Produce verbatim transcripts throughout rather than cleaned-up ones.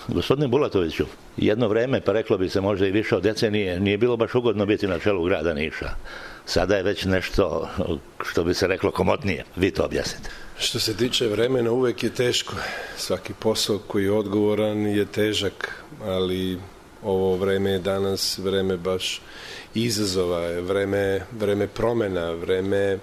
Gospodine Bulatoviću, jedno vreme, pa reklo bi se možda i više od decenije, nije bilo baš ugodno biti na čelu grada Niša. Sada je već nešto, što bi se reklo, komotnije. Vi to objasnite. Što se tiče vremena, uvek je teško. Svaki posao koji je odgovoran je težak, ali ovo vreme je danas vreme baš izazova, vreme, vreme promena, vreme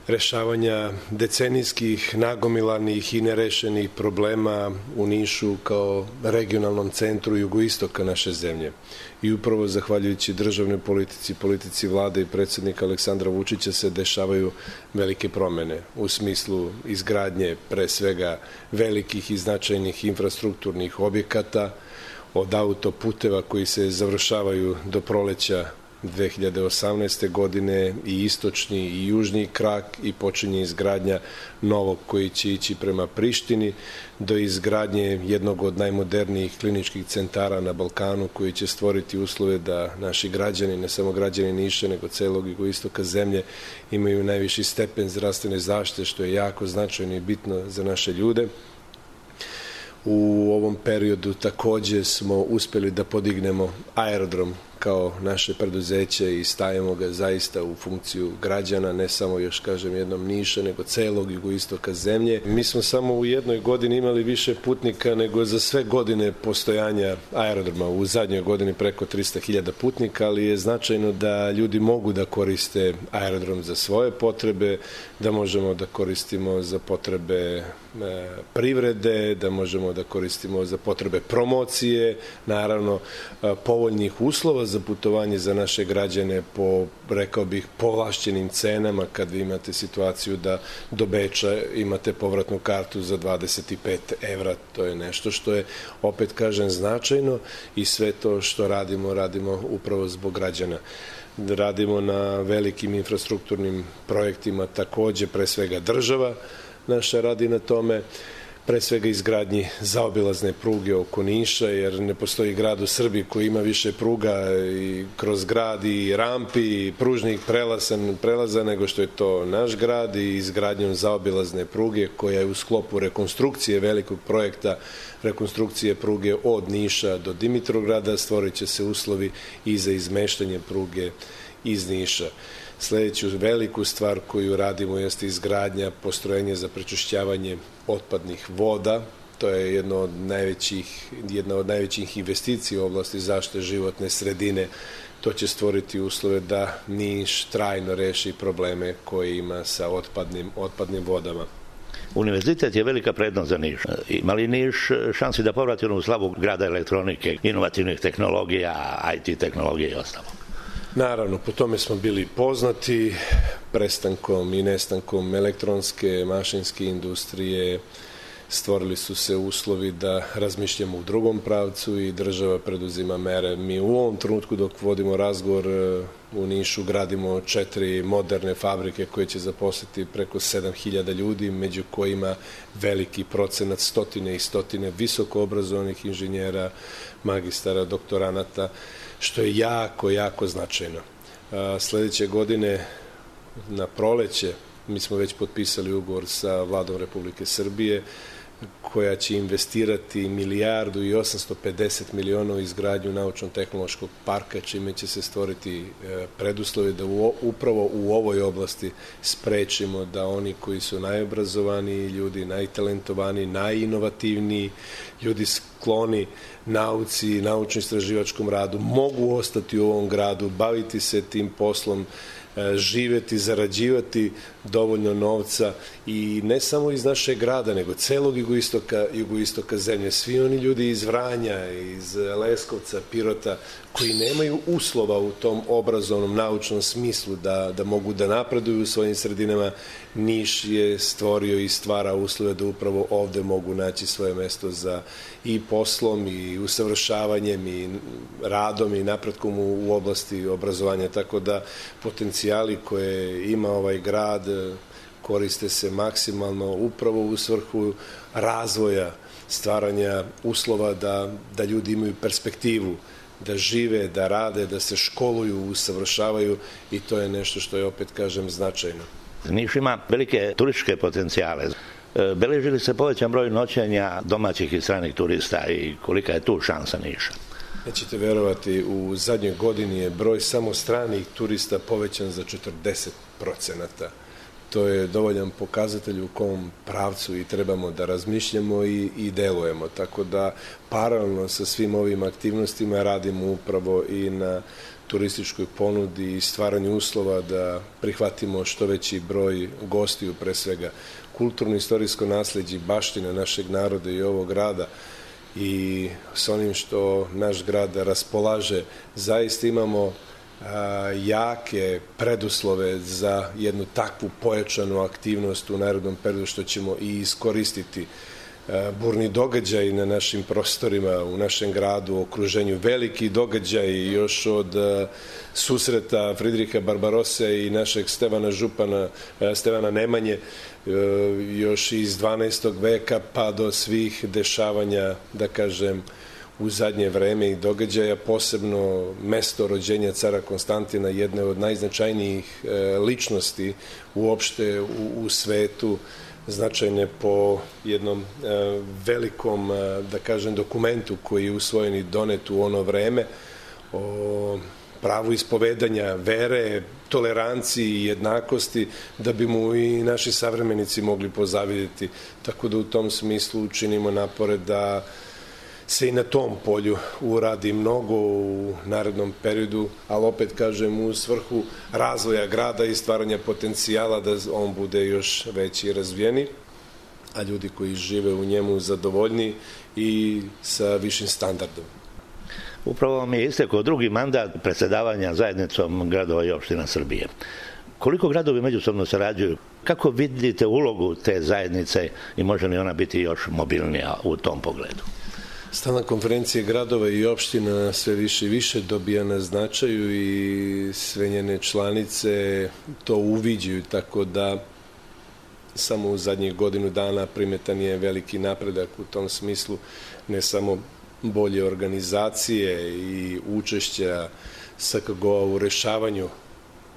rešavanja decenijskih, nagomilanih i nerešenih problema u Nišu kao regionalnom centru jugoistoka naše zemlje. I upravo zahvaljujući državnoj politici, politici vlade i predsjednika Aleksandra Vučića se dešavaju velike promene u smislu izgradnje pre svega velikih i značajnih infrastrukturnih objekata, od autoputeva koji se završavaju do proleća dve hiljade osamnaeste. godine i istočni i južni krak i počinje izgradnja novog koji će ići prema Prištini, do izgradnje jednog od najmodernijih kliničkih centara na Balkanu koji će stvoriti uslove da naši građani, ne samo građani Niša, nego celog jugoistoka zemlje, imaju najviši stepen zdravstvene zaštite, što je jako značajno i bitno za naše ljude. U ovom periodu takođe smo uspeli da podignemo aerodrom kao naše preduzeće i stavimo ga zaista u funkciju građana, ne samo, još kažem, jednom Niša, nego celog jugoistoka zemlje. Mi smo samo u jednoj godini imali više putnika nego za sve godine postojanja aerodroma. U zadnjoj godini preko trista hiljada putnika, ali je značajno da ljudi mogu da koriste aerodrom za svoje potrebe, da možemo da koristimo za potrebe privrede, da možemo da koristimo za potrebe promocije, naravno povoljnih uslova za putovanje za naše građane po, rekao bih, povlašćenim cenama, kad vi imate situaciju da do Beča imate povratnu kartu za dvadeset pet evra. To je nešto što je, opet kažem, značajno i sve to što radimo, radimo upravo zbog građana. Radimo na velikim infrastrukturnim projektima, takođe, pre svega država naša radi na tome, pre svega izgradnji zaobilazne pruge oko Niša, jer ne postoji grad u Srbiji koji ima više pruga i kroz grad i rampi i pružnih prelaza, prelaza nego što je to naš grad, i izgradnjom zaobilazne pruge koja je u sklopu rekonstrukcije velikog projekta rekonstrukcije pruge od Niša do Dimitrovgrada. Stvorit će se uslovi i za izmeštanje pruge iz Niša. Sledeću veliku stvar koju radimo jeste izgradnja postrojenja za prečišćavanje otpadnih voda. To je jedna od najvećih, jedna od najvećih investicija u oblasti zaštite životne sredine. To će stvoriti uslove da Niš trajno reši probleme koje ima sa otpadnim, otpadnim vodama. Univerzitet je velika prednost za Niš. Ima li Niš šansi da povrati onu slavu grada elektronike, inovativnih tehnologija, I T tehnologije i ostalo? Naravno, po tome smo bili poznati, prestankom i nestankom elektronske, mašinske industrije, stvorili su se uslovi da razmišljamo u drugom pravcu i država preduzima mere. Mi u ovom trenutku, dok vodimo razgovor, u Nišu gradimo četiri moderne fabrike koje će zaposliti preko sedam hiljada ljudi, među kojima veliki procenat, stotine i stotine visoko obrazovanih inženjera, magistara, doktoranata, što je jako, jako značajno. Sledeće godine, na proleće, mi smo već potpisali ugovor sa vladom Republike Srbije, koja će investirati milijardu i osamsto pedeset miliona u izgradnju naučno-tehnološkog parka, čime će se stvoriti preduslovi da upravo u ovoj oblasti sprečimo da oni koji su najobrazovaniji ljudi, najtalentovaniji, najinovativniji, ljudi skloni nauci, naučno-istraživačkom radu, mogu ostati u ovom gradu, baviti se tim poslom, živeti, zarađivati dovoljno novca, i ne samo iz našeg grada, nego celog jugoistoka, jugoistoka zemlje. Svi oni ljudi iz Vranja, iz Leskovca, Pirota, koji nemaju uslova u tom obrazovnom, naučnom smislu da, da mogu da napreduju u svojim sredinama, Niš je stvorio i stvara uslove da upravo ovde mogu naći svoje mesto za i poslom i usavršavanjem i radom i napretkom u, u oblasti obrazovanja. Tako da potencijali koje ima ovaj grad koriste se maksimalno upravo u svrhu razvoja, stvaranja uslova da, da ljudi imaju perspektivu, da žive, da rade, da se školuju, usavršavaju, i to je nešto što je, opet kažem, značajno. Niš ima velike turističke potencijale. Beleži li se povećan broj noćenja domaćih i stranih turista i kolika je tu šansa Niša? Nećete verovati, u zadnjoj godini je broj samo stranih turista povećan za četrdeset procenata. To je dovoljan pokazatelj u kom pravcu i trebamo da razmišljamo i, i delujemo. Tako da paralelno sa svim ovim aktivnostima radimo upravo i na turističkoj ponudi i stvaranju uslova da prihvatimo što veći broj gostiju, pre svega kulturno-istorijsko nasleđe i baština našeg naroda i ovog grada i s onim što naš grad raspolaže, zaista imamo a, jake preduslove za jednu takvu pojačanu aktivnost u narednom periodu, što ćemo i iskoristiti. Burni događaj na našim prostorima, u našem gradu, u okruženju, veliki događaj još od susreta Fridriha Barbarose i našeg Stevana Župana, Stevana Nemanje, još iz dvanaestog veka pa do svih dešavanja, da kažem, u zadnje vreme i događaja, posebno mesto rođenja cara Konstantina, jedne od najznačajnijih ličnosti uopšte u, u svetu, značajne po jednom e, velikom, e, da kažem, dokumentu koji je usvojen i donet u ono vreme o pravu ispovedanja vere, toleranciji i jednakosti, da bi mu i naši savremenici mogli pozavidjeti. Tako da u tom smislu učinimo napore da se i na tom polju uradi mnogo u narednom periodu, ali opet kažem u svrhu razvoja grada i stvaranja potencijala da on bude još veći i razvijeni, a ljudi koji žive u njemu zadovoljni i sa višim standardom. Upravo mi je istekao drugi mandat predsjedavanja zajednicom gradova i opština Srbije. Koliko gradovi međusobno sarađuju? Kako vidite ulogu te zajednice i može li ona biti još mobilnija u tom pogledu? Stalna konferencija gradova i opština sve više i više dobija na značaju i sve njene članice to uviđaju, tako da samo u zadnjih godinu dana primetan je veliki napredak u tom smislu, ne samo bolje organizacije i učešća S K G O-a u rešavanju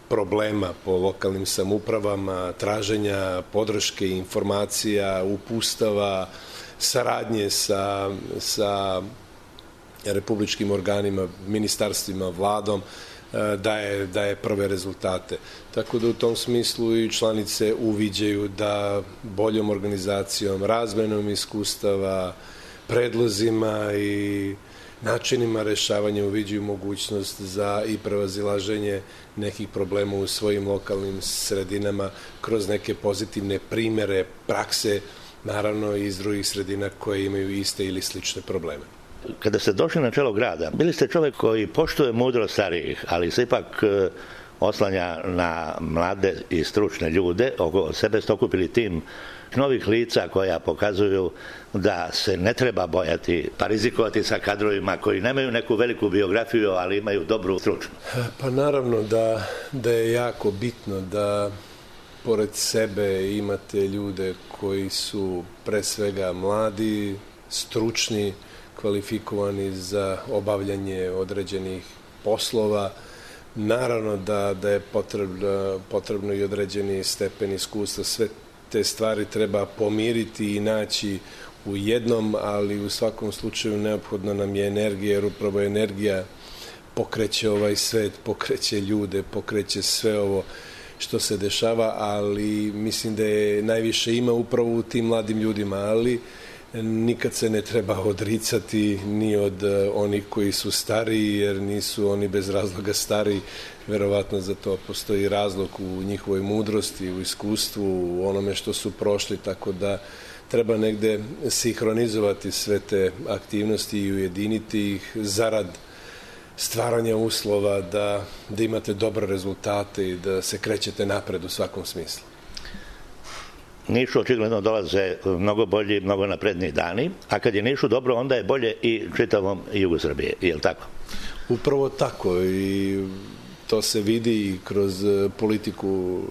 problema po lokalnim samoupravama, traženja podrške, informacija, upustava, saradnje sa, sa republičkim organima, ministarstvima, vladom, daje, daje prve rezultate. Tako da u tom smislu i članice uviđaju da boljom organizacijom, razmenom iskustava, predlozima i načinima rešavanja uviđaju mogućnost za i prevazilaženje nekih problema u svojim lokalnim sredinama kroz neke pozitivne primere, prakse, naravno i iz drugih sredina koje imaju iste ili slične probleme. Kada ste došli na čelo grada, bili ste čovjek koji poštuje mudrost starijih, ali se ipak oslanja na mlade i stručne ljude. Oko sebe ste okupili tim novih lica koja pokazuju da se ne treba bojati pa rizikovati sa kadrovima koji nemaju neku veliku biografiju, ali imaju dobru stručnu. Pa naravno da, da je jako bitno da pored sebe imate ljude koji su pre svega mladi, stručni, kvalifikovani za obavljanje određenih poslova. Naravno da, da je potrebno, potrebno i određeni stepen iskustva. Sve te stvari treba pomiriti i naći u jednom, ali u svakom slučaju neophodna nam je energija, jer upravo energija pokreće ovaj svet, pokreće ljude, pokreće sve ovo što se dešava, ali mislim da je najviše ima upravo u tim mladim ljudima, ali nikad se ne treba odricati ni od onih koji su stariji, jer nisu oni bez razloga stariji. Verovatno za to postoji razlog u njihovoj mudrosti, u iskustvu, u onome što su prošli, tako da treba negde sinhronizovati sve te aktivnosti i ujediniti ih zarad stvaranja uslova da, da imate dobre rezultate i da se krećete napred u svakom smislu. Nišu očigledno dolaze mnogo bolji, mnogo napredniji dani, a kad je Nišu dobro, onda je bolje i čitavom jugu Srbije, je li tako? Upravo tako, i to se vidi i kroz politiku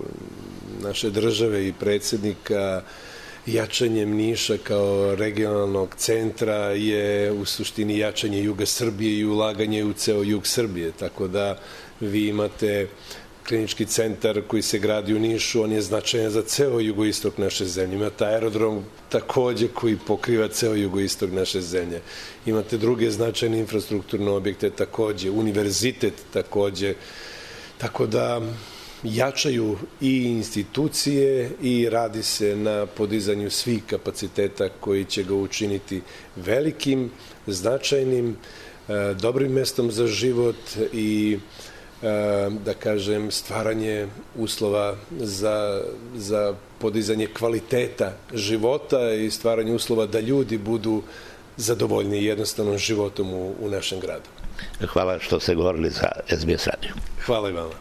naše države i predsjednika. Jačanjem Niša kao regionalnog centra je u suštini jačanje juga Srbije i ulaganje u ceo jug Srbije, tako da vi imate klinički centar koji se gradi u Nišu, on je značajan za ceo jugoistok naše zemlje. Imate aerodrom takođe koji pokriva ceo jugoistok naše zemlje. Imate druge značajne infrastrukturne objekte takođe, univerzitet takođe. Tako da jačaju i institucije i radi se na podizanju svih kapaciteta koji će ga učiniti velikim, značajnim, dobrim mestom za život i da kažem stvaranje uslova za, za podizanje kvaliteta života i stvaranje uslova da ljudi budu zadovoljni jednostavnom životom u, u našem gradu. Hvala što ste govorili za S B S radio. Hvala i vama.